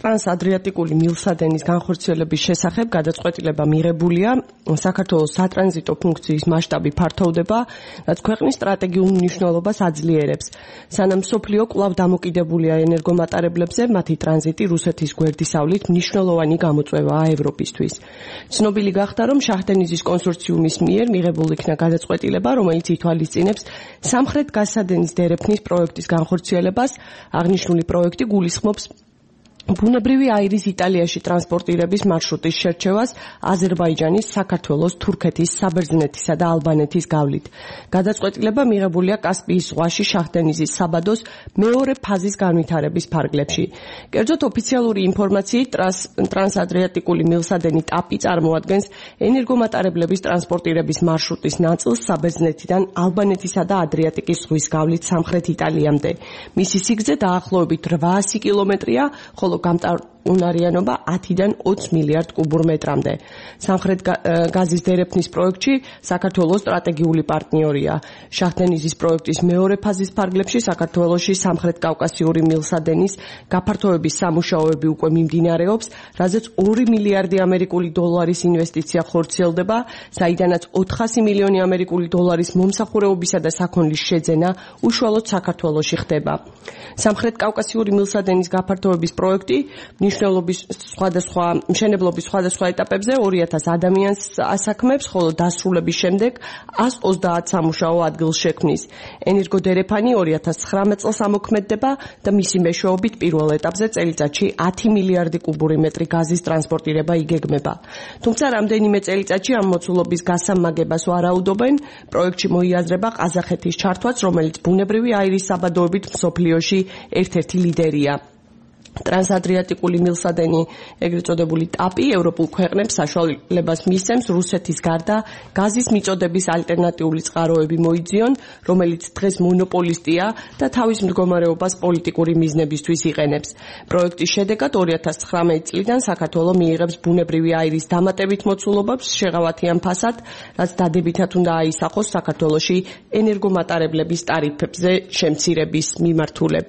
ტრანსადრიატიკული მილსადენის განხორციელების შესახებ გადაწყვეტილება მიღებულია. საქართველოს სატრანზიტო ფუნქციის მასშტაბი ფართოვდება, რაც ქვეყნის სტრატეგიულ მნიშვნელობას აძლიერებს. სანამ მსოფლიო კვლავ დამოკიდებულია ენერგომატარებლებზე, მათი ტრანზიტი რუსეთის გვერდისავლით მნიშვნელოვანი გამოწვევაა ევროპისთვის. ცნობილი გახდა, რომ შაჰდენიზის კონსორციუმის მიერ მიღებულ იქნა გადაწყვეტილება, რომელიც ითვალისწინებს სამხრეთ გაზსადენის დერეფნის პროექტის განხორციელებას. აღნიშნული პროექტი გულისხმობს ბუნებრივი აირის იტალიაში ტრანსპორტირების მარშრუტის შერჩევას აზერბაიჯანის, საქართველოს, თურქეთის, საბერძნეთისა და ალბანეთის გავლით. გადაწყვეტილება მიღებულია კასპიის ზღვაში შაჰდენიზის საბადოს მეორე ფაზის განვითარების ფარგლებში. კერძოდ ოფიციალური ინფორმაციით, ტრანსადრიატიკული მილსადენი ტაპი წარმოადგენს ენერგომატარებლების ტრანსპორტირების მარშრუტის ნაწილს საბერძნეთიდან ალბანეთისა და ადრიატიკის ზღვის გავლით სამხრეთ იტალიამდე. მისი სიგრძე დაახლოებით 800 კილომეტრია, ხოლო გამტარუნარიანობა 10-დან 20 მილიარდ კუბურ მეტრამდე. სამხრეთ გაზის დერეფნის პროექტში საქართველოს სტრატეგიული პარტნიორია. შაჰდენიზის პროექტის მეორე ფაზის ფარგლებში საქართველოში სამხრეთ კავკასიური მილსადენის გაფართოების სამუშაოები უკვე მიმდინარეობს, რაზეც 2 მილიარდი ამერიკული დოლარის ინვესტიცია ხორციელდება, საიდანაც 400 მილიონი ამერიკული დოლარის მომსახურეობისა და საქონლის შეძენა უშუალოდ საქართველოში ხდება. სამხრეთ კავკასიური მილსადენის გაფართოების პროექტი მშენებლობის სხვადასხვა ეტაპებზე 2000 ადამიანს ასაქმებს, ხოლო დასრულების შემდეგ 130 სამუშაო ადგილს შექმნის. ენერგოდერეფანი 2019 წელს ამოქმედდება და მისი მეშვეობით პირველ ეტაპზე წელიწადში 10 მილიარდი კუბური მეტრი გაზის ტრანსპორტირება იგეგმება. თუმცა რამდენიმე წელიწადში ამ მოცულობის გასამაგებას ვარაუდობენ. პროექტში მოიაზრება ყაზახეთის ჩართვაც, რომელიც ბუნებრივი აირის საბადოებით მსოფლიოში ერთ-ერთი ლიდერია. ტრანსადრიატიკული მილსადენი, ეგრეთ წოდებული ტაპი, ევროპულ ქვეყნებს საშუალებას მისცემს რუსეთის გარდა გაზის მიწოდების ალტერნატიული წყაროები მოიძიონ, რომელიც დღეს მონოპოლისტია და თავის მდგომარეობას პოლიტიკური მიზნებისთვის იყენებს. პროექტის შედეგად 2019 წლიდან საქართველო მიიღებს ბუნებრივი აირის დამატებით მოცულობებს შეღავათიან ფასად, რაც დადებითად უნდა აისახოს საქართველოში ენერგომატარებლების ტარიფებზე შემცირების მიმართულებით.